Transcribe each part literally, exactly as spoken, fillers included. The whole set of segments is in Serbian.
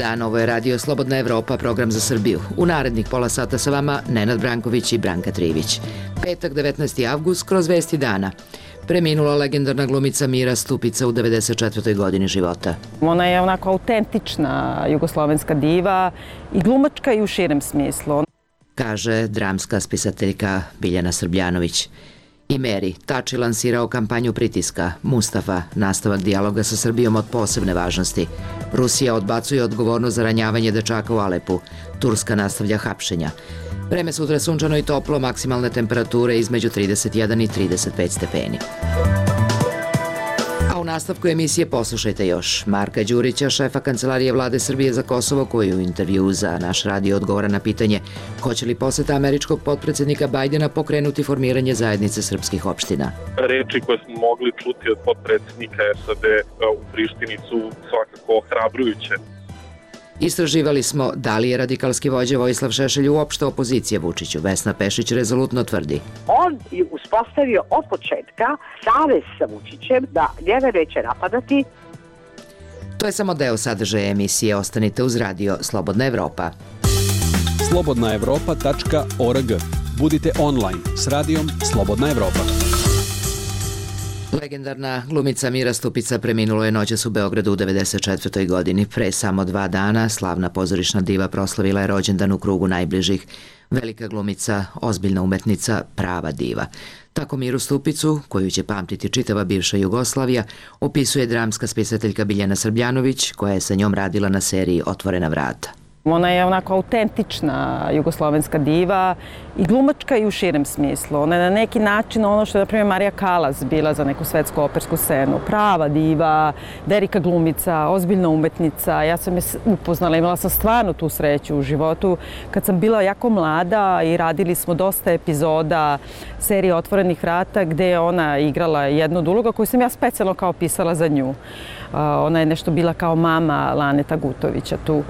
dan, ovo je Radio Slobodna Evropa, program za Srbiju. U narednih pola sata sa vama Nenad Branković i Branka Trivić. Petak, devetnaesti avgust, kroz vesti dana. Preminula legendarna glumica Mira Stupica u devedeset četvrtoj godini života. Ona je onako autentična jugoslovenska diva i glumačka i u širem smislu. Kaže dramska spisateljka Biljana Srbljanović. I Meri, Tači lansirao kampanju pritiska. Mustafa, nastavak dijaloga sa Srbijom od posebne važnosti. Rusija odbacuje odgovornost za ranjavanje dečaka u Alepu. Turska nastavlja hapšenja. Vreme sutra sunčano i toplo, maksimalne temperature između trideset jedan i trideset pet stepeni. A u nastavku emisije poslušajte još Marka Đurića, šefa Kancelarije Vlade Srbije za Kosovo, koji u intervju za naš radio odgovara na pitanje hoće li poseta američkog potpredsjednika Bajdena pokrenuti formiranje zajednice srpskih opština. Reči koje smo mogli čuti od potpredsjednika S A D u Prištini su svakako ohrabrujuće. Istraživali smo da li je radikalski vođa Vojislav Šešelj uopšte opozicija Vučiću. Vesna Pešić rezolutno tvrdi. On je uspostavio od početka savez sa Vučićem da njega neće napadati. To je samo deo sadržaja emisije. Ostanite uz radio Slobodna Evropa. slobodna evropa tačka org. Budite online s radijom Slobodna Evropa. Legendarna glumica Mira Stupica preminulo je noćas u Beogradu u devedeset četvrtoj godini. Pre samo dva dana slavna pozorišna diva proslavila je rođendan u krugu najbližih. Velika glumica, ozbiljna umetnica, prava diva. Tako Miru Stupicu, koju će pamtiti čitava bivša Jugoslavija, opisuje dramska spisateljka Biljana Srbljanović, koja je sa njom radila na seriji Otvorena vrata. Ona je onako autentična jugoslovenska diva i glumačka i u širem smislu. Ona je na neki način ono što je, na primjer, Marija Kalas bila za neku svetsku opersku scenu. Prava diva, velika glumica, ozbiljna umetnica. Ja sam je upoznala, imala sam stvarno tu sreću u životu. Kad sam bila jako mlada i radili smo dosta epizoda serije Otvorenih vrata gde je ona igrala jednu od uloga koju sam ja specijalno kao pisala za nju. Ona je nešto bila kao mama Laneta Gutovića tu.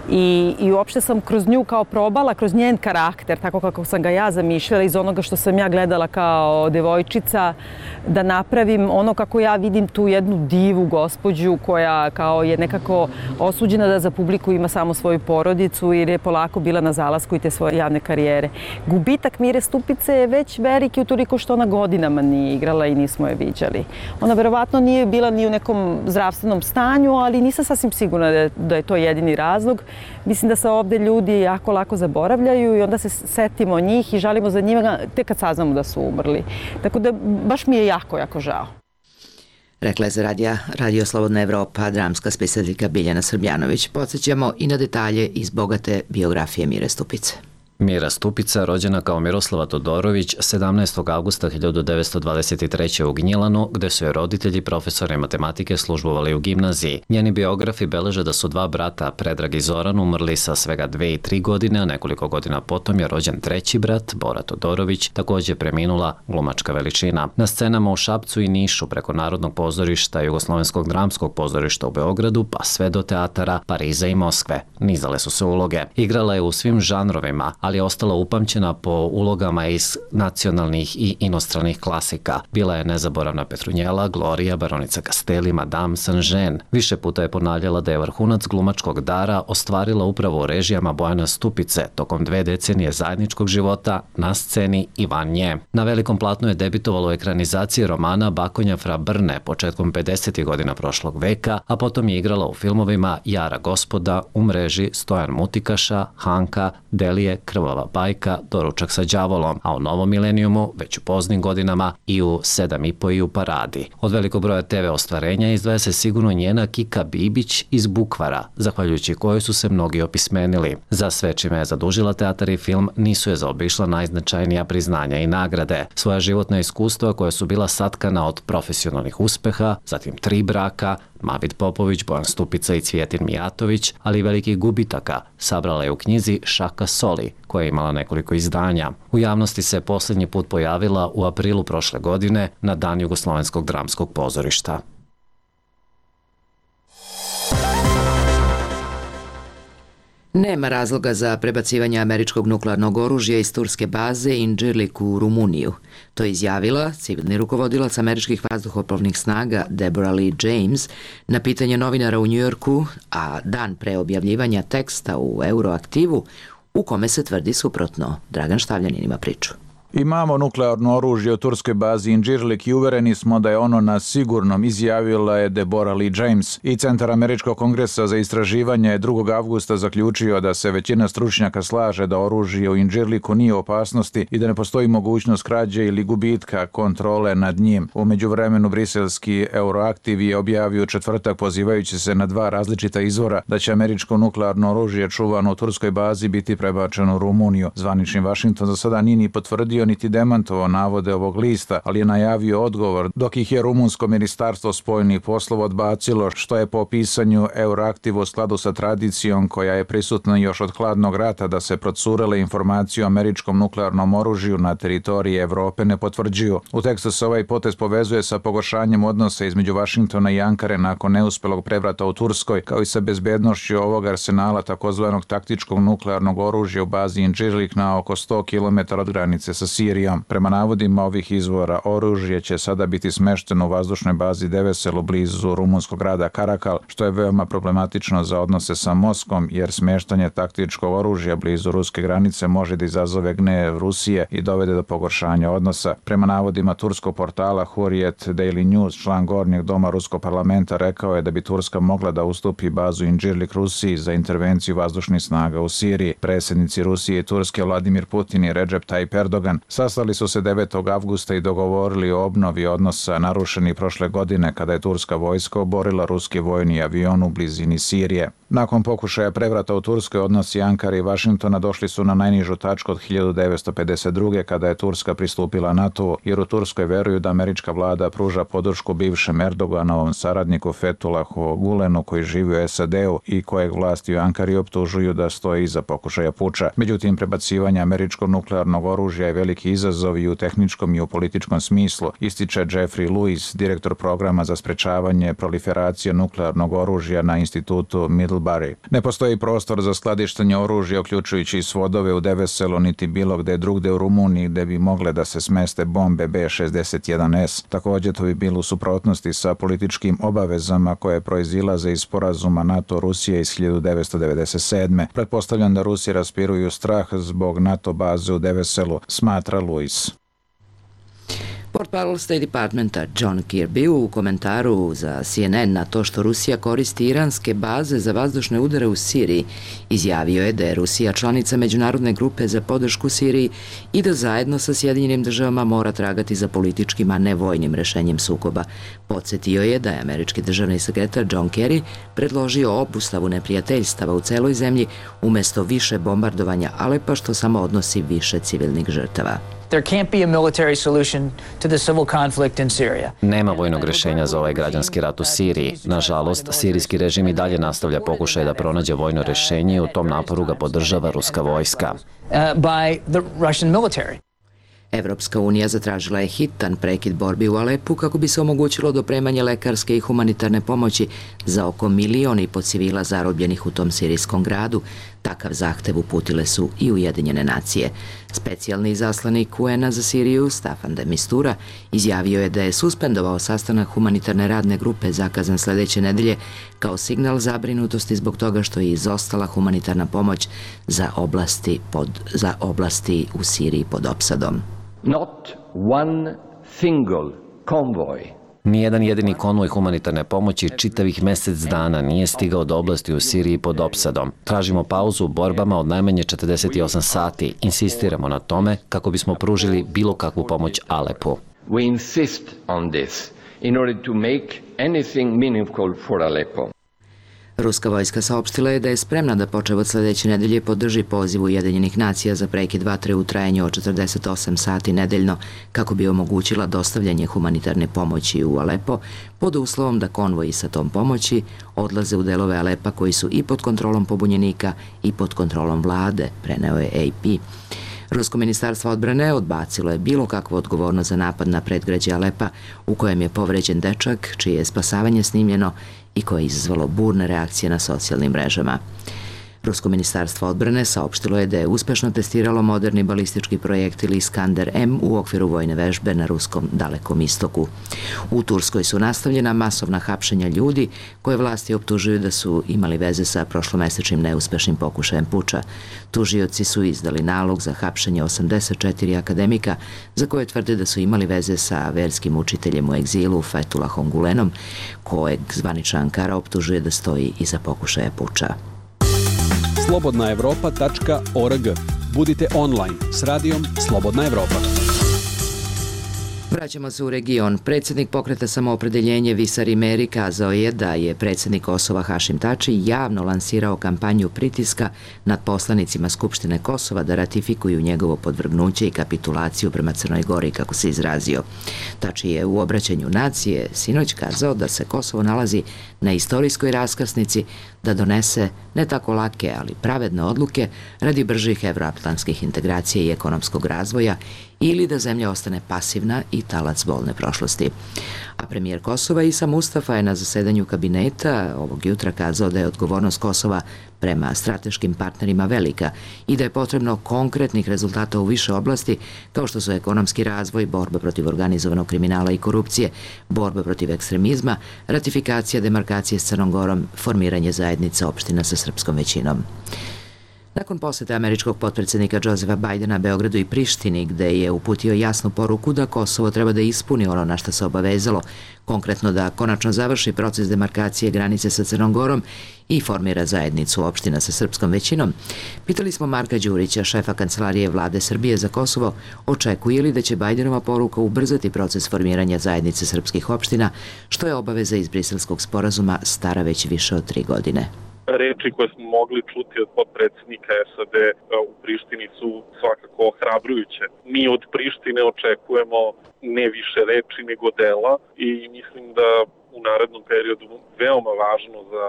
I, i uopšte sam kroz nju kao probala, kroz njen karakter, tako kako sam ga ja zamišljala, iz onoga što sam ja gledala kao devojčica, da napravim ono kako ja vidim tu jednu divu gospođu koja kao je nekako osuđena da za publiku ima samo svoju porodicu jer je polako bila na zalasku i te svoje javne karijere. Gubitak Mire Stupice je već veliki utoliko što ona godinama nije igrala i nismo je viđali. Ona verovatno nije bila ni u nekom zdravstvenom stanju, ali nisam sasvim sigurna da je, da je to jedini razlog. Mislim da se ovde ljudi jako lako zaboravljaju i onda se setimo njih i žalimo za njima tek kad saznamo da su umrli. Tako da baš mi je jako, jako žao. Rekla je za radija Radio Slobodna Evropa dramska spisateljka Biljana Srbljanović. Podsjećamo i na detalje iz bogate biografije Mire Stupice. Mira Stupica, rođena kao Miroslava Todorović, sedamnaestog avgusta hiljadu devetsto dvadeset treće. u Gnjilanu, gde su je roditelji profesori matematike službovali u gimnaziji. Njeni biografi beleže da su dva brata, Predrag i Zoran, umrli sa svega dve i tri godine, a nekoliko godina potom je rođen treći brat, Bora Todorović, također preminula glumačka veličina. Na scenama u Šapcu i Nišu, preko Narodnog pozorišta, Jugoslovenskog dramskog pozorišta u Beogradu, pa sve do teatara Pariza i Moskve, nizale su se uloge. Igrala je u svim žanrovima, ali je ostala upamćena po ulogama iz nacionalnih i inostranih klasika. Bila je nezaboravna Petrunjela, Gloria, baronica Castelli, Madame Saint-Jean. Više puta je ponavljala da je vrhunac glumačkog dara ostvarila upravo u režijama Bojana Stupice tokom dve decenije zajedničkog života na sceni i van nje. Na velikom platnu je debitovalo u ekranizaciji romana Bakonja fra Brne početkom pedesetih godina prošlog veka, a potom je igrala u filmovima Jara gospoda, U mreži, Stojan Mutikaša, Hanka, Delije, Krvava bajka, Doručak sa đavolom, a u novom milenijumu, već u poznim godinama, i u sedam i po i u Paradi. Od velikog broja te ve ostvarenja izdvaja se sigurno njena Kika Bibić iz Bukvara, zahvaljujući kojoj su se mnogi opismenili. Za sve čime je zadužila teatar i film nisu je zaobišla najznačajnija priznanja i nagrade. Svoja životna iskustva koja su bila satkana od profesionalnih uspeha, zatim tri braka, Mavid Popović, Bojan Stupica i Cvijetin Mijatović, ali i velikih gubitaka, sabrala je u knjizi Šaka soli, koja je imala nekoliko izdanja. U javnosti se posljednji put pojavila u aprilu prošle godine na Dan Jugoslovenskog dramskog pozorišta. Nema razloga za prebacivanje američkog nuklearnog oružja iz turske baze Incirlik u Rumuniju. To je izjavila civilni rukovodilac američkih vazduhoplovnih snaga Deborah Lee James na pitanje novinara u Njujorku, a dan pre objavljivanja teksta u Euroaktivu u kome se tvrdi suprotno. Dragan Štavljanin ima priču. Imamo nuklearno oružje u turskoj bazi Incirlik i uvereni smo da je ono na sigurnom, izjavila je Deborah Lee James. I Centar Američkog kongresa za istraživanje je drugog avgusta zaključio da se većina stručnjaka slaže da oružje u Incirliku nije u opasnosti i da ne postoji mogućnost krađe ili gubitka kontrole nad njim. U međuvremenu briselski Euroaktiv je objavio u četvrtak, pozivajući se na dva različita izvora, da će američko nuklearno oružje čuvano u turskoj bazi biti prebačeno u Rumuniju. Zvanični Vašington za sada nije ni potvrdio niti demantovao navode ovog lista, ali je najavio odgovor, dok ih je rumunsko ministarstvo spoljnih poslova odbacilo, što je po pisanju Euroaktiva u skladu sa tradicijom koja je prisutna još od hladnog rata da se procurele informacije o američkom nuklearnom oružju na teritoriji Evrope ne potvrđuju. U tekstu se ovaj potez povezuje sa pogoršanjem odnosa između Vašingtona i Ankare nakon neuspelog prevrata u Turskoj, kao i sa bezbednošću ovog arsenala takozvanog taktičkog nuklearnog oružja u bazi Incirlik na oko sto kilometara od granice sa Sirijom. Prema navodima ovih izvora, oružje će sada biti smešteno u vazdušnoj bazi Deveselu blizu rumunskog grada Karakal, što je veoma problematično za odnose sa Moskvom, jer smeštanje taktičkog oružja blizu ruske granice može da izazove gnev Rusije i dovede do pogoršanja odnosa. Prema navodima turskog portala Hurriyet Daily News, član gornjeg doma ruskog parlamenta rekao je da bi Turska mogla da ustupi bazu Incirlik Rusiji za intervenciju vazdušnih snaga u Siriji. Predsjednici Rusije i Turske Vladimir Putin i Recep Tayyip Erdogan sastali su se devetog avgusta i dogovorili o obnovi odnosa narušeni prošle godine kada je turska vojska oborila ruski vojni avion u blizini Sirije. Nakon pokušaja prevrata u Turskoj, odnosi Ankare i Vašingtona došli su na najnižu tačku od hiljadu devetsto pedeset druge kada je Turska pristupila NATO, jer u Turskoj veruju da američka vlada pruža podršku bivšem Erdoganovom saradniku Fethulahu Gulenu koji živi u S A D-u i kojeg vlasti u Ankari optužuju da stoji iza pokušaja puča. Međutim, prebacivanje američkog nuklearnog oružja je veliki izazov i u tehničkom i u političkom smislu, ističe Jeffrey Lewis, direktor programa za sprečavanje proliferacije nuklearnog oružja na institutu Middlebury. Ne postoji prostor za skladištenje oružja, uključujući i svodove u Deveselu, niti bilo gde drugde u Rumuniji gde bi mogle da se smeste bombe B šezdeset jedan S. Također to bi bilo u suprotnosti sa političkim obavezama koje proizilaze iz sporazuma NATO-Rusije iz hiljadu devetsto devedeset sedme. Pretpostavljam da Rusi raspiruju strah zbog NATO baze u Deveselu, smatra Lewis. Portparol State Departmenta John Kirby u komentaru za C N N na to što Rusija koristi iranske baze za vazdušne udare u Siriji izjavio je da je Rusija članica međunarodne grupe za podršku Siriji i da zajedno sa Sjedinjenim državama mora tragati za političkim, a ne vojnim rešenjem sukoba. Podsjetio je da je američki državni sekretar John Kerry predložio obustavu neprijateljstava u celoj zemlji umesto više bombardovanja Alepa, što samo odnosi više civilnih žrtava. There can't be a military solution to the civil conflict in Syria. Nema vojnog rješenja za ovaj građanski rat u Siriji. Nažalost, sirijski režim i dalje nastavlja pokušaj da pronađe vojno rješenje i u tom naporu ga podržava ruska vojska. Uh, by the Russian military. Evropska unija zatražila je hitan prekid borbi u Alepu kako bi se omogućilo dopremanje lekarske i humanitarne pomoći za oko milion i po civila zarobljenih u tom sirijskom gradu. Takav zahtev uputile su i Ujedinjene nacije. Specijalni izaslanik U N A za Siriju, Staffan de Mistura, izjavio je da je suspendovao sastanak humanitarne radne grupe zakazan sljedeće nedelje kao signal zabrinutosti zbog toga što je izostala humanitarna pomoć za oblasti, pod, za oblasti u Siriji pod opsadom. Not one single convoy. Nijedan jedini konvoj humanitarne pomoći čitavih mjesec dana nije stigao do oblasti u Siriji pod opsadom. Tražimo pauzu u borbama od najmanje četrdeset osam sati. Insistiramo na tome kako bismo pružili bilo kakvu pomoć Alepu. We insist on this in order to make anything meaningful for Aleppo. Ruska vojska saopštila je da je spremna da počev od sljedeće nedelje podrži poziv Ujedinjenih nacija za prekid vatre u trajanju od četrdeset osam sati nedeljno kako bi omogućila dostavljanje humanitarne pomoći u Alepo pod uslovom da konvoji sa tom pomoći odlaze u delove Alepa koji su i pod kontrolom pobunjenika i pod kontrolom vlade, preneo je A P. Rusko ministarstvo odbrane odbacilo je bilo kakvu odgovornost za napad na predgrađe Alepa u kojem je povređen dečak, čije je spasavanje snimljeno i koje je izazvalo burne reakcije na socijalnim mrežama. Rusko ministarstvo odbrane saopštilo je da je uspešno testiralo moderni balistički projektil Iskander M u okviru vojne vežbe na ruskom Dalekom istoku. U Turskoj su nastavljena masovna hapšenja ljudi koje vlasti optužuju da su imali veze sa prošlomesečnim neuspešnim pokušajem puča. Tužioci su izdali nalog za hapšenje osamdeset četiri akademika za koje tvrde da su imali veze sa verskim učiteljem u egzilu Fethullahom Gulenom, kojeg zvanična Ankara optužuje da stoji iza pokušaja puča. slobodna evropa tačka org. Budite online s radijom Slobodna Evropa. Vraćamo se u region. Predsjednik Pokreta Samoopredeljenje Visar Imeri kazao je da je predsjednik Kosova Hašim Tači javno lansirao kampanju pritiska nad poslanicima Skupštine Kosova da ratifikuju njegovo podvrgnuće i kapitulaciju prema Crnoj Gori, kako se izrazio. Tači je u obraćanju nacije sinoć kazao da se Kosovo nalazi na istorijskoj raskrsnici da donese ne tako lake, ali pravedne odluke radi bržih evroatlantskih integracija i ekonomskog razvoja ili da zemlja ostane pasivna i talac bolne prošlosti. A premijer Kosova Isa Mustafa je na zasedanju kabineta ovog jutra kazao da je odgovornost Kosova prema strateškim partnerima velika i da je potrebno konkretnih rezultata u više oblasti kao što su ekonomski razvoj, borba protiv organizovanog kriminala i korupcije, borba protiv ekstremizma, ratifikacija demarkacije s Crnom Gorom, formiranje zajednice opština sa srpskom većinom. Nakon posete američkog potpredsjednika Josefa Bajdena Beogradu i Prištini, gde je uputio jasnu poruku da Kosovo treba da ispuni ono na što se obavezalo, konkretno da konačno završi proces demarkacije granice sa Crnom Gorom i formira zajednicu opština sa srpskom većinom, pitali smo Marka Đurića, šefa Kancelarije Vlade Srbije za Kosovo, očekuje li da će Bajdenova poruka ubrzati proces formiranja zajednice srpskih opština, što je obaveza iz Briselskog sporazuma stara već više od tri godine. Reči koje smo mogli čuti od potpredsjednika S A D u Prištini su svakako ohrabrujuće. Mi od Prištine očekujemo ne više reči nego dela i mislim da u narednom periodu veoma važno za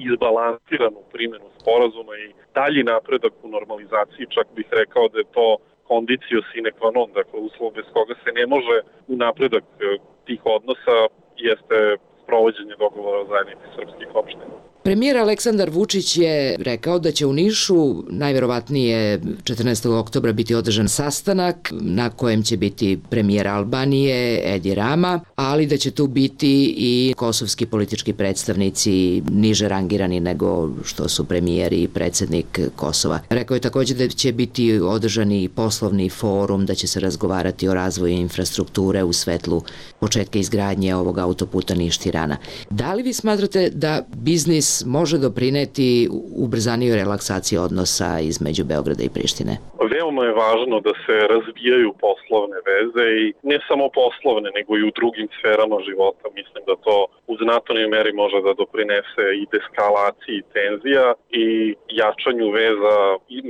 izbalansiranu primjenu sporazuma i dalji napredak u normalizaciji, čak bih rekao da je to condicio sine qua non, dakle uslov bez koga se ne može u napredak tih odnosa jeste sprovođenje dogovora o zajednici srpskih opština. Premijer Aleksandar Vučić je rekao da će u Nišu najverovatnije četrnaestog oktobra biti održan sastanak na kojem će biti premijer Albanije Edi Rama, ali da će tu biti i kosovski politički predstavnici niže rangirani nego što su premijer i predsjednik Kosova. Rekao je također da će biti održan i poslovni forum, da će se razgovarati o razvoju infrastrukture u svetlu početka izgradnje ovog autoputa Niš-Tirana. Da li vi smatrate da biznis može doprineti ubrzaniju relaksaciji odnosa između Beograda i Prištine? Veoma je važno da se razvijaju poslovne veze i ne samo poslovne, nego i u drugim sferama života. Mislim da to u znatnoj meri može da doprinese i deskalaciji tenzija i jačanju veza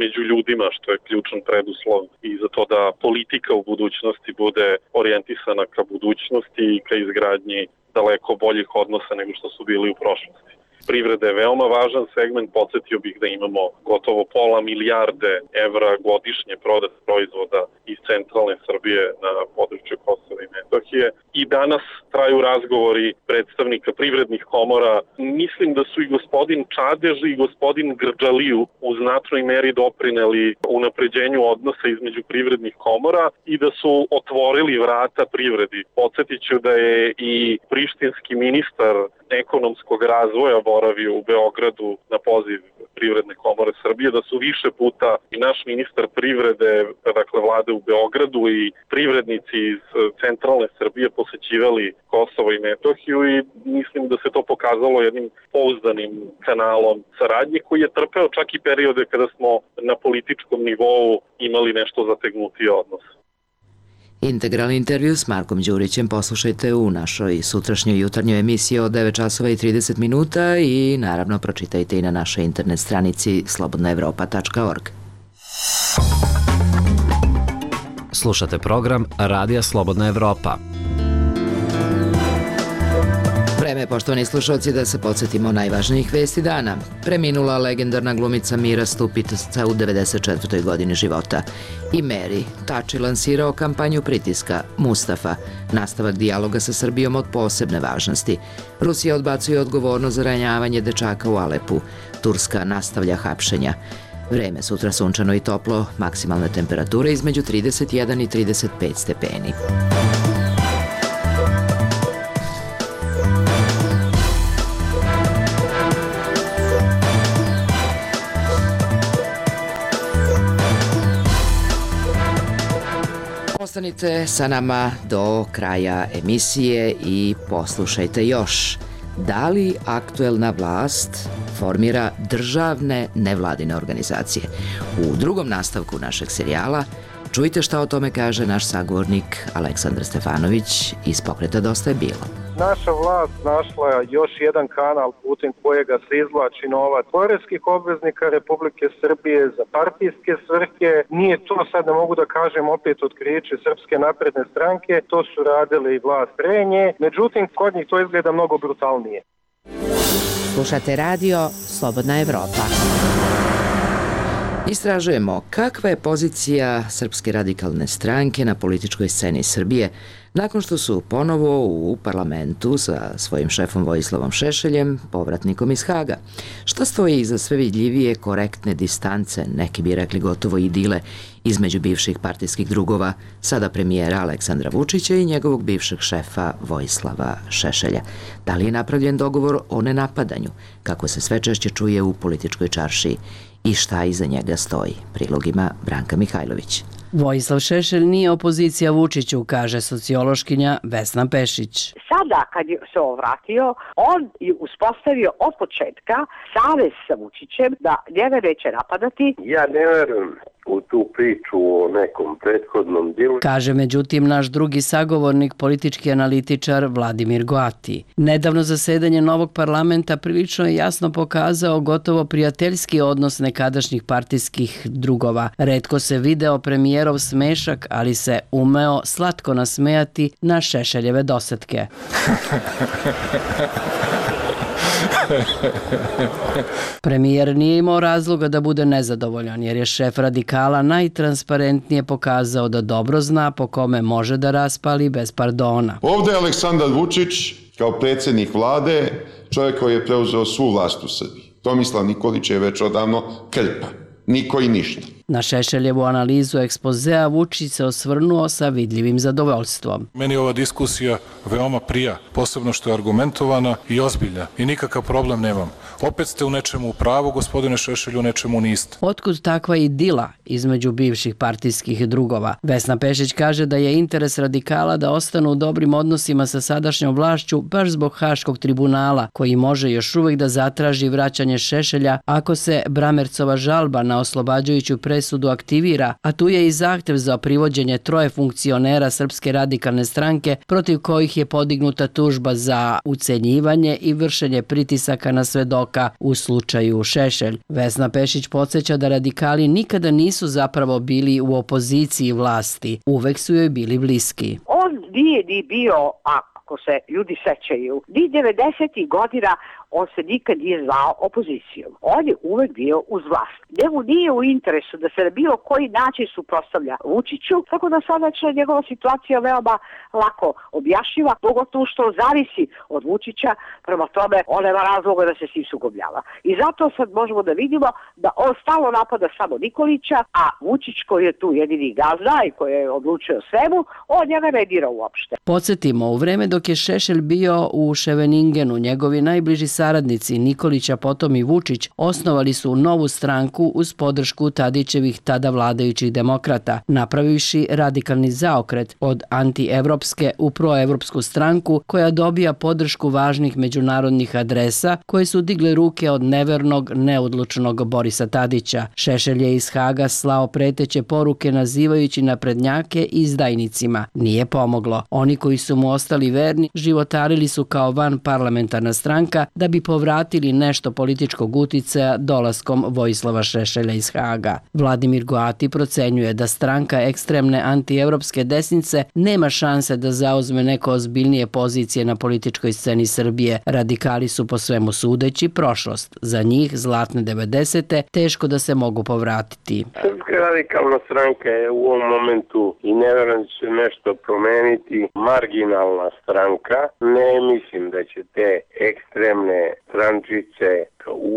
među ljudima, što je ključan preduslov i za to da politika u budućnosti bude orijentisana ka budućnosti i ka izgradnji daleko boljih odnosa nego što su bili u prošlosti. Privreda je veoma važan segment, podsjetio bih da imamo gotovo pola milijarde evra godišnje prodat proizvoda iz centralne Srbije na području Kosova i Metohije. I danas traju razgovori predstavnika privrednih komora. Mislim da su i gospodin Čadež i gospodin Grđaliju u znatnoj meri doprineli unapređenju odnosa između privrednih komora i da su otvorili vrata privredi. Podsjetit ću da je i prištinski ministar ekonomskog razvoja boravio u Beogradu na poziv Privredne komore Srbije, da su više puta i naš ministar privrede, dakle vlade u Beogradu i privrednici iz centralne Srbije posećivali Kosovo i Metohiju i mislim da se to pokazalo jednim pouzdanim kanalom saradnje koji je trpeo čak i periode kada smo na političkom nivou imali nešto zategnutiji odnos. Integralni intervju s Markom Đurićem poslušajte u našoj sutrašnjoj jutarnjoj emisiji od devet časova i trideset minuta i naravno pročitajte i na našoj internet stranici slobodna evropa tačka org. Slušate program Radija Slobodna Evropa. Vreme Vreme, poštovani slušalci, da se podsjetimo najvažnijih vesti dana. Preminula legendarna glumica Mira Stupica u devedeset četvrtoj godini života. I Mary, Tači lansirao kampanju pritiska. Mustafa, nastavak dijaloga sa Srbijom od posebne važnosti. Rusija odbacuje odgovornost za ranjavanje dečaka u Alepu. Turska nastavlja hapšenja. Vreme, sutra sunčano i toplo, maksimalne temperature između trideset jedan i trideset pet stepeni. Ostanite sa nama do kraja emisije i poslušajte još. Da li aktuelna vlast formira državne nevladine organizacije? U drugom nastavku našeg serijala čujte šta o tome kaže naš sagovornik Aleksandar Stefanović iz pokreta Dosta je bilo. Naša vlast našla još jedan kanal putem kojega se izvlači novac poreskih obveznika Republike Srbije za partijske svrhe. Nije to, sad ne mogu da kažem, opet otkriće Srpske napredne stranke, to su radile i vlast pre nje, međutim kod njih to izgleda mnogo brutalnije. Slušate radio Slobodna Evropa. Istražujemo kakva je pozicija Srpske radikalne stranke na političkoj sceni Srbije nakon što su ponovo u parlamentu sa svojim šefom Vojislavom Šešeljem, povratnikom iz Haga. Šta stoji iza sve vidljivije korektne distance, neki bi rekli gotovo idile, između bivših partijskih drugova, sada premijera Aleksandra Vučića i njegovog bivšeg šefa Vojislava Šešelja? Da li je napravljen dogovor o nenapadanju, kako se sve češće čuje u političkoj čaršiji, i šta iza njega stoji? Prilog ima Branka Mihajlović. Vojislav Šešelj nije opozicija Vučiću, kaže sociološkinja Vesna Pešić. Sada kad se ovratio, on je uspostavio od početka savez sa Vučićem da njega neće napadati. Ja ne verujem u tu priču o nekom prethodnom delu. Kaže međutim naš drugi sagovornik, politički analitičar Vladimir Goati. Nedavno zasedanje novog parlamenta prilično je jasno pokazao gotovo prijateljski odnos nekadašnjih partijskih drugova. Retko se video premijerov smešak, ali se umeo slatko nasmejati na Šešeljeve dosetke. Premijer nije imao razloga da bude nezadovoljan, jer je šef radikala najtransparentnije pokazao da dobro zna po kome može da raspali bez pardona. Ovde je Aleksandar Vučić kao predsjednik vlade, čovjek koji je preuzeo svu vlast u Srbiji. Tomislav Nikolić je već odavno krpa. Niko i ništa. Na Šešeljevu analizu ekspozea Vučić se osvrnuo sa vidljivim zadovoljstvom. Meni ova diskusija veoma prija, posebno što je argumentovana i ozbiljna i nikakav problem nemam. Opet ste u nečemu u pravu, gospodine Šešelju, u nečemu niste. Otkud takva idila između bivših partijskih drugova? Vesna Pešić kaže da je interes radikala da ostanu u dobrim odnosima sa sadašnjom vlašću baš zbog Haškog tribunala, koji može još uvijek da zatraži vraćanje Šešelja ako se Bramercova žalba na oslobađajuću presudu aktivira, a tu je i zahtev za privođenje troje funkcionera Srpske radikalne stranke protiv kojih je podignuta tužba za ucenjivanje i vršenje pritisaka na svedoka u slučaju Šešelj. Vesna Pešić podsjeća da radikali nikada nisu zapravo bili u opoziciji vlasti, uvek su joj bili bliski. On nije ni bio, ako se ljudi sećaju, ni devedesetih godina on se nikad nije zvao opozicijom. On je uvek bio uz vlast. Njemu nije u interesu da se na bilo koji način suprotstavlja Vučiću, tako da sada će njegova situacija veoma lako objašnjiva, pogotovo što zavisi od Vučića, prema tome on nema razloga da se s njim sukobljava. I zato sad možemo da vidimo da on stalno napada samo Nikolića, a Vučić koji je tu jedini gazda i koji je odlučio svemu, on njega ne dira uopšte. Podsjetimo, u vreme dok je Šešelj bio u Ševeningenu, njegovi najbliži saradnici Nikolića, potom i Vučić, osnovali su novu stranku uz podršku Tadićevih tada vladajućih demokrata, napravivši radikalni zaokret od antievropske u proevropsku stranku koja dobija podršku važnih međunarodnih adresa koje su digle ruke od nevernog, neodlučnog Borisa Tadića. Šešelj je iz Haga slao preteće poruke nazivajući naprednjake izdajnicima. Nije pomoglo. Oni koji su mu ostali verni životarili su kao van parlamentarna stranka da da bi povratili nešto političkog uticaja dolaskom Vojislava Šešelja iz Haga. Vladimir Goati procenjuje da stranka ekstremne antievropske desnice nema šanse da zauzme neko ozbiljnije pozicije na političkoj sceni Srbije. Radikali su po svemu sudeći prošlost. Za njih zlatne devedesete teško da se mogu povratiti. Srpska radikalna stranka je u ovom momentu i ne verujem da će nešto promeniti marginalna stranka. Ne mislim da će te ekstremne strančice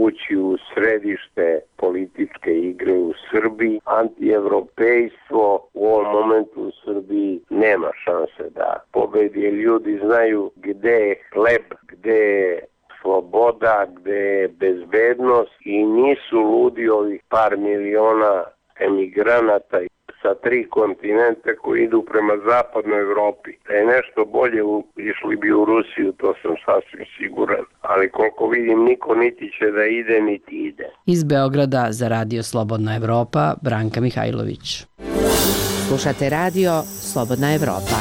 ući u središte političke igre u Srbiji. Antievropejstvo u ovom momentu u Srbiji nema šanse da pobedi. Ljudi znaju gde je hleb, gde je sloboda, gde je bezbednost i nisu ludi ovih par miliona emigranata sa tri kontinenta koji idu prema zapadnoj Evropi. Da je nešto bolje, išli bi u Rusiju, to sam sasvim siguran. Ali koliko vidim, niko niti će da ide, niti ide. Iz Beograda za Radio Slobodna Evropa, Branka Mihajlović. Slušate Radio Slobodna Evropa.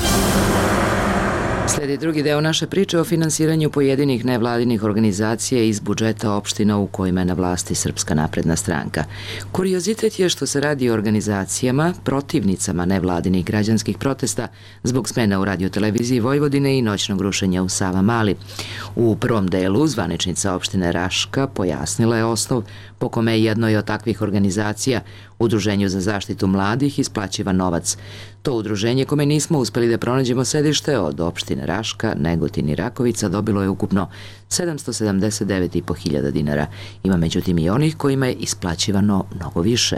Slijedi drugi deo naše priče o finansiranju pojedinih nevladinih organizacija iz budžeta opština u kojima je na vlasti Srpska napredna stranka. Kuriozitet je što se radi o organizacijama, protivnicama nevladinih građanskih protesta zbog smena u radioteleviziji Vojvodine i noćnog rušenja u Savamali. U prvom delu zvaničnica opštine Raška pojasnila je osnov po kome je jednoj od takvih organizacija, Udruženju za zaštitu mladih, isplaćiva novac. To udruženje kome nismo uspeli da pronađemo sedište od opštine Raška, Negotin i Rakovica dobilo je ukupno sedamsto sedamdeset devet i po hiljada dinara. Ima međutim i onih kojima je isplaćivano mnogo više.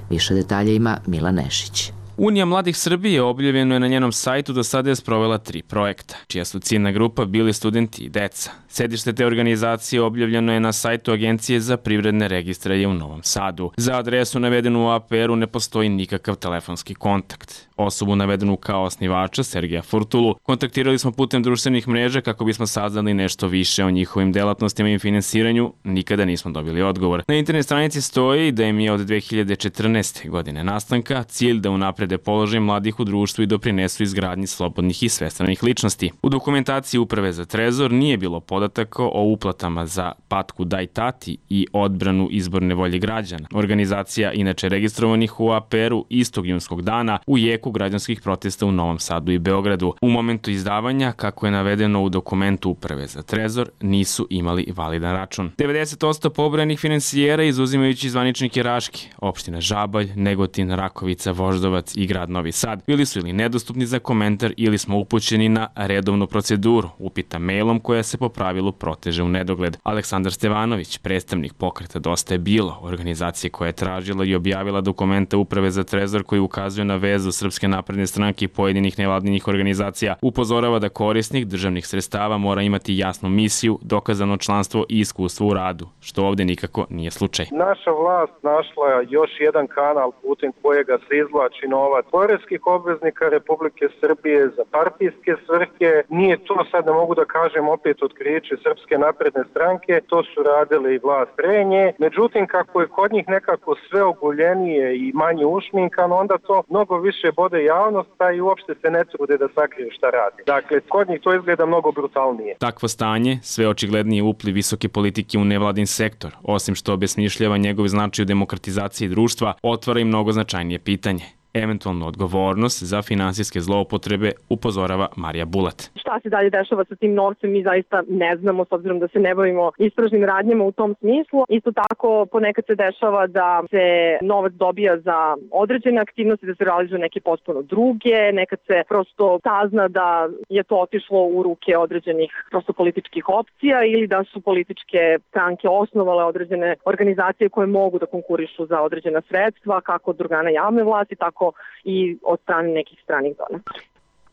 Više detalja ima Mila Nešić. Unija mladih Srbije objavljeno je na njenom sajtu do sada je sprovela tri projekta, čija su ciljna grupa bili studenti i deca. Sedište te organizacije objavljeno je na sajtu Agencije za privredne registre u Novom Sadu. Za adresu navedenu u A P R-u ne postoji nikakav telefonski kontakt. Osobu navedenu kao osnivača, Sergeja Furtulu, kontaktirali smo putem društvenih mreža kako bismo saznali nešto više o njihovim delatnostima i finansiranju, nikada nismo dobili odgovor. Na internet stranici stoji da im je od dve hiljade četrnaeste. godine nastanka cilj da unaprede položaj mladih u društvu i doprinesu izgradnji slobodnih i svestranih ličnosti. U dokumentaciji Uprave za trezor nije bilo podataka o uplatama za patku Daj tati i odbranu izborne volje građana. Organizacija inače registrovanih u A P R-u istog junskog dana u jeku građanskih protesta u Novom Sadu i Beogradu. U momentu izdavanja, kako je navedeno u dokumentu Uprave za trezor, nisu imali validan račun. devedeset posto pobrojanih finansijera, izuzimajući zvaničnike Raške, opština Žabalj, Negotin, Rakovica, Voždovac i grad Novi Sad, bili su ili nedostupni za komentar ili smo upućeni na redovnu proceduru, upita mailom koja se po pravilu proteže u nedogled. Aleksandar Stevanović, predstavnik pokreta Dosta je bilo, organizacije koja je tražila i objavila dokumenta Uprave za trezor koji ukazuje na vezu Srpske napredne stranke i pojedinih nevladinih organizacija, upozorava da korisnik državnih sredstava mora imati jasnu misiju, dokazano članstvo i iskustvo u radu, što ovde nikako nije slučaj. Naša vlast našla još jedan kanal putem kojega se izvlači novac poreskih obveznika Republike Srbije za partijske svrhe. Nije to, sad ne mogu da kažem opet otkriće Srpske napredne stranke, to su radile i vlast pre nje. Međutim, kako je kod njih nekako sve oguljenije i manje ušminkano, onda to mnogo više bode javnost, pa i uopšte se ne trude da sakriju šta radi. Dakle, kod njih to izgleda mnogo brutalnije. Takvo stanje, sve očiglednije upliv visoke politike u nevladin sektor, osim što obesmišljava njegov značaj u demokratizaciji društva, otvara i mnogo značajnije pitanje. Eventualnu odgovornost za finansijske zloupotrebe upozorava Marija Bulat. Šta se dalje dešava sa tim novcem mi zaista ne znamo, s obzirom da se ne bavimo istražnim radnjama u tom smislu. Isto tako ponekad se dešava da se novac dobija za određene aktivnosti, da se realizuju neke potpuno druge, nekad se prosto sazna da je to otišlo u ruke određenih prosto političkih opcija ili da su političke stranke osnovale određene organizacije koje mogu da konkurišu za određena sredstva, kako od organa javne vlasti, tako i od strane nekih stranih donatora.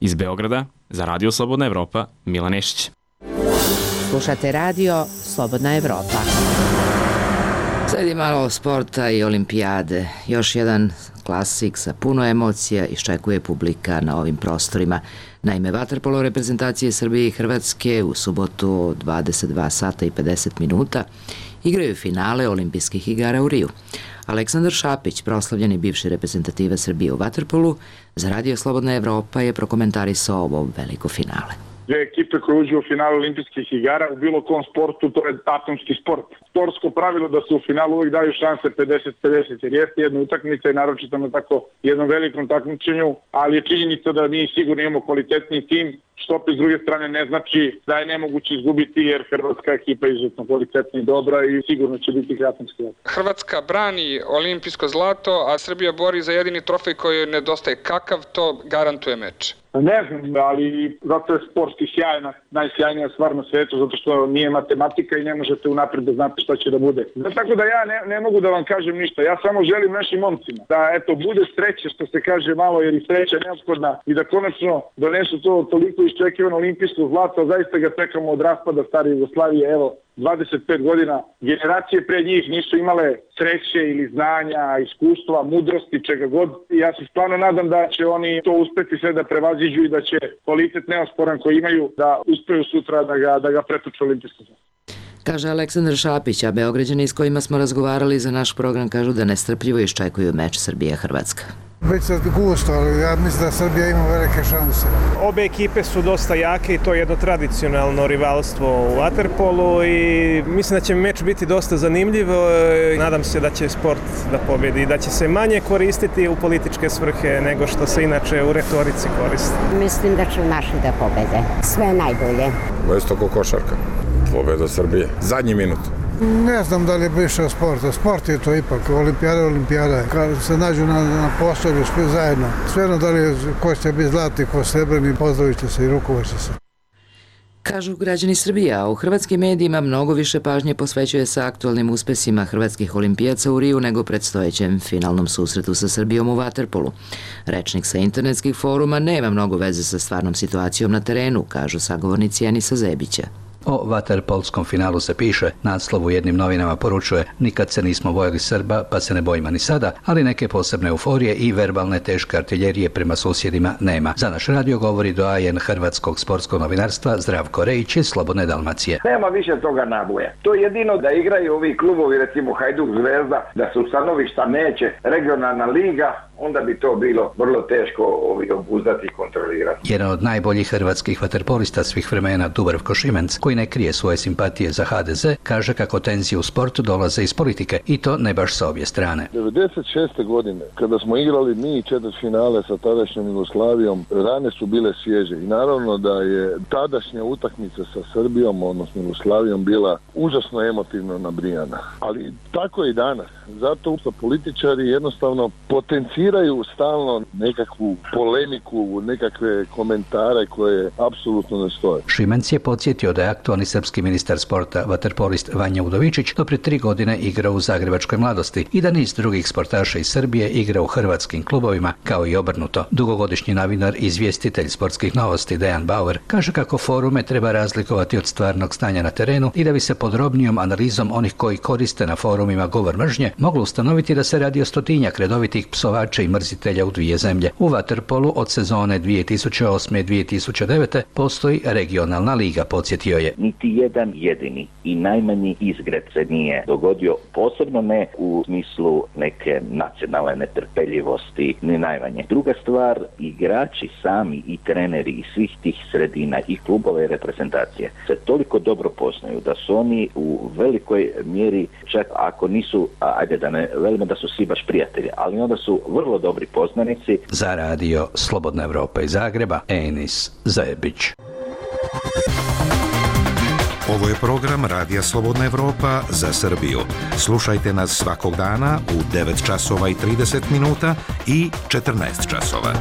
Iz Beograda, za Radio Slobodna Evropa, Mila Nešić. Slušate Radio Slobodna Evropa. Sledi malo sporta i olimpijade. Još jedan klasik sa puno emocija iščekuje publika na ovim prostorima. Naime, vaterpolo reprezentacije Srbije i Hrvatske u subotu od dvadeset dva sata i pedeset minuta igraju finale olimpijskih igara u Riju. Aleksandar Šapić, proslavljeni bivši reprezentativa Srbije u vaterpolu, za Radio Slobodna Evropa je prokomentarisao ovo veliko finale. dve ekipe koje uđu u finalu olimpijskih igara. U bilo kom sportu to je atomski sport. Sportsko pravilo da se u finalu uvijek daju šanse pedeset pedeset, jer jeste jedna utakmica i naročito na tako jednom velikom takmičenju, ali je činjenica da mi sigurno imamo kvalitetni tim, što opet s druge strane ne znači da je nemoguće izgubiti, jer hrvatska ekipa je izuzetno kvalitetna i dobra i sigurno će biti kratanski. Hrvatska brani olimpijsko zlato, a Srbija bori za jedini trofej koji nedostaje. Kakav to garantuje meč? Ne znam, ali zato je sportski sjajna, najsjajnija stvar na svetu, zato što nije matematika i ne možete unaprijed da znate šta će da bude. Tako da ja ne, ne mogu da vam kažem ništa, ja samo želim našim momcima da eto bude sreće, što se kaže malo, jer i sreća je neophodna i da konačno donesu to toliko iščekivano olimpijsko zlato, zaista ga čekamo od raspada stare Jugoslavije, evo, dvadeset pet godina, generacije pre njih nisu imale sreće ili znanja, iskustva, mudrosti, čega god. Ja se stvarno nadam da će oni to uspeti sve da prevaziđu i da će kvalitet neosporan koji imaju da uspeju sutra da ga, da ga pretuče olimpijsko zlato. Kaže Aleksandar Šapić, a Beograđani s kojima smo razgovarali za naš program kažu da nestrpljivo iščekuju meč Srbija-Hrvatska. Biće gusto, ali ja mislim da Srbija ima velike šanse. Obe ekipe su dosta jake i to je jedno tradicionalno rivalstvo u vaterpolu i mislim da će meč biti dosta zanimljiv. Nadam se da će sport da pobedi i da će se manje koristiti u političke svrhe nego što se inače u retorici koristi. Mislim da će naši da pobede. Sve najbolje. Isto ko košarka. Pobeda Srbije. Zadnji minut. Ne znam da li je više sporta. Sport je to ipak. Olimpijada, olimpijada. Kad se nađu na, na postolju svi zajedno. Svejedno da li je, ko će biti zlatni, ko srebrni, pozdravit će se i rukovat će se. Kažu građani Srbije, a u hrvatskim medijima mnogo više pažnje posvećuje se aktualnim uspesima hrvatskih olimpijaca u Riju nego predstojećem finalnom susretu sa Srbijom u vaterpolu. Rečnik sa internetskih foruma nema mnogo veze sa stvarnom situacijom na terenu, kažu sagovornici Enisa Zebića. O vaterpolskom finalu se piše, naslov u jednim novinama poručuje nikad se nismo bojali Srba, pa se ne bojimo ni sada, ali neke posebne euforije i verbalne teške artiljerije prema susjedima nema. Za naš radio govori doajen hrvatskog sportskog novinarstva Zdravko Rejić iz Slobodne Dalmacije. Nema više toga naboja. To je jedino da igraju ovi klubovi, recimo Hajduk, Zvezda, da se ustanovišta neće, regionalna liga, onda bi to bilo vrlo teško ovi obuzdati i kontrolirati. Jedan od najboljih hrvatskih vaterpolista svih vremena, Dubravko Šimenc, koji ne krije svoje simpatije za ha de ze, kaže kako tenzije u sportu dolaze iz politike i to ne baš sa obje strane. devedeset šeste godine, kada smo igrali mi četvrtfinale sa tadašnjom Jugoslavijom, rane su bile svježe i naravno da je tadašnja utakmica sa Srbijom, odnosno Jugoslavijom, bila užasno emotivno nabrijana. Ali tako je i danas. Zato sa političari jednostavno potenciraju stalno nekakvu polemiku, nekakve komentare koje apsolutno ne stoje. Šimenc je podsjetio da je aktualni srpski ministar sporta, vaterpolist Vanja Udovičić, do prije tri godine igrao u zagrebačkoj Mladosti i da niz drugih sportaša iz Srbije igra u hrvatskim klubovima, kao i obrnuto. Dugogodišnji novinar i izvjestitelj sportskih novosti Dejan Bauer kaže kako forume treba razlikovati od stvarnog stanja na terenu i da bi se podrobnijom analizom onih koji koriste na forumima govor mržnje moglo ustanoviti da se radi o stotinjak redovitih psovača i mrzitelja u dvije zemlje. U vaterpolu od sezone dvije tisuće osme i dvije tisuće devete postoji regionalna liga, podsjetio je. Niti jedan jedini i najmanji izgred se nije dogodio, posebno ne u smislu neke nacionalne netrpeljivosti, ni najmanje. Druga stvar, igrači sami i treneri iz svih tih sredina i klubove i reprezentacije se toliko dobro poznaju da su oni u velikoj mjeri, čak ako nisu, ajde da ne velimo da su svi baš prijatelji, ali onda su vrlo dobri poznanici. Za radio Slobodna Evropa iz Zagreba, Enis Zebić. Ovo je program Radija Slobodna Evropa za Srbiju. Slušajte nas svakog dana u devet časova i trideset minuta i četrnaest časova.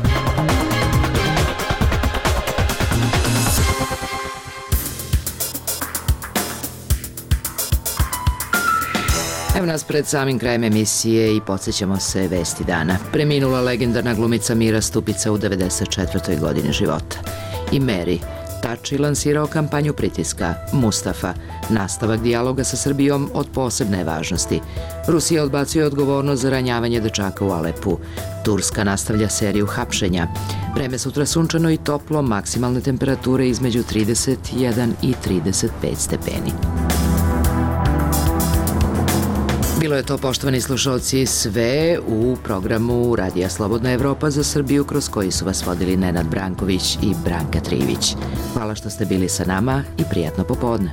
Evo nas pred samim krajem emisije i podsjećamo se vesti dana. Preminula legendarna glumica Mira Stupica u devedeset četvrtoj godini života. I Mary, Tači lansirao kampanju pritiska. Mustafa, nastavak dijaloga sa Srbijom od posebne važnosti. Rusija odbacuje odgovornost za ranjavanje dečaka u Alepu. Turska nastavlja seriju hapšenja. Vreme sutra sunčano i toplo, maksimalne temperature između trideset jedan i trideset pet stepeni. Bilo je to, poštovani slušalci, sve u programu Radija Slobodna Evropa za Srbiju, kroz koji su vas vodili Nenad Branković i Branka Trivić. Hvala što ste bili sa nama i prijatno popodne.